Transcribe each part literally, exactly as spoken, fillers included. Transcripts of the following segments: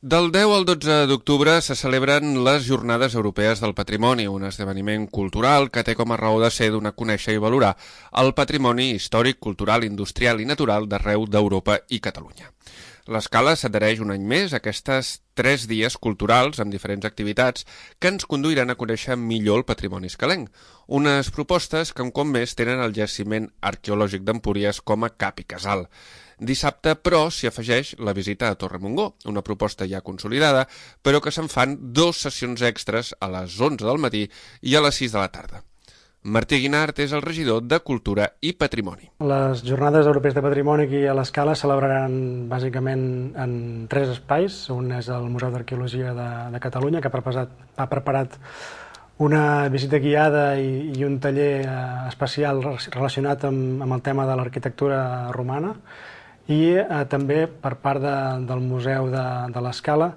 Del deu al dotze d'octubre se celebren les Jornades Europees del Patrimoni, un esdeveniment cultural que té com a raó de ser donar a conèixer i valorar el patrimoni històric, cultural, industrial i natural d'arreu d'Europa i Catalunya. L'Escala s'adhereix un any més a aquestes tres dies culturals amb diferents activitats que ens conduiran a conèixer millor el patrimoni escalenc. Unes propostes que un cop més tenen el jaciment arqueològic d'Empúries com a cap i casal. Dissabte, però, s'hi afegeix la visita a Torre Montgó, una proposta ja consolidada, però que se'n fan dues sessions extres a les onze del matí i a les sis de la tarda. Martí Guinart és el regidor de Cultura i Patrimoni. Les Jornades Europees de Patrimoni aquí a l'Escala celebraran bàsicament en tres espais. Un és el Museu d'Arqueologia de, de Catalunya, que ha preparat, ha preparat una visita guiada i, i un taller eh, especial relacionat amb, amb el tema de l'arquitectura romana. I eh, també per part de, del Museu de, de l'Escala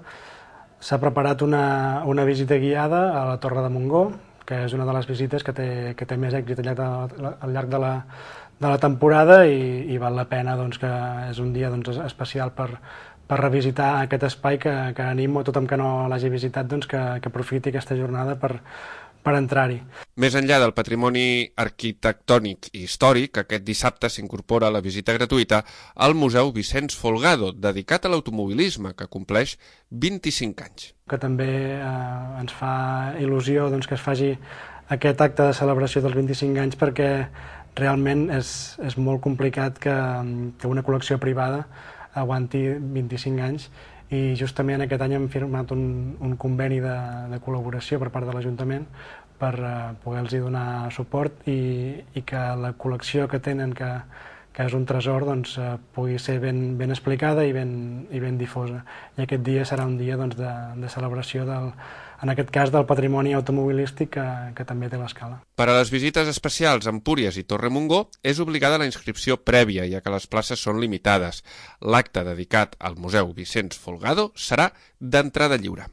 s'ha preparat una, una visita guiada a la Torre de Montgó, que és una de les visites que té, que té més èxit al llarg de, al llarg de, la, de la temporada i, i val la pena, doncs, que és un dia doncs, especial per, per revisitar aquest espai que, que animo a tothom que no l'hagi visitat doncs, que, que aprofiti aquesta jornada per, per entrar-hi. Més enllà del patrimoni arquitectònic i històric, aquest dissabte s'incorpora a la visita gratuïta al Museu Vicenç Folgado, dedicat a l'automobilisme, que compleix vint-i-cinc anys. Que també eh, ens fa il·lusió doncs, que es faci aquest acte de celebració dels vint-i-cinc anys, perquè realment és, és molt complicat que, que una col·lecció privada aguanti vint-i-cinc anys, i justament aquest any hem firmat un, un conveni de, de col·laboració per part de l'Ajuntament per uh, poder-los donar suport i, i que la col·lecció que tenen, que, que és un tresor, doncs, uh, pugui ser ben, ben explicada i ben, i ben difosa. I aquest dia serà un dia doncs, de, de celebració, del, en aquest cas, del patrimoni automobilístic que, que també té l'Escala. Per a les visites especials a Empúries i Torre Montgó és obligada la inscripció prèvia, ja que les places són limitades. L'acte dedicat al Museu Vicenç Folgado serà d'entrada lliure.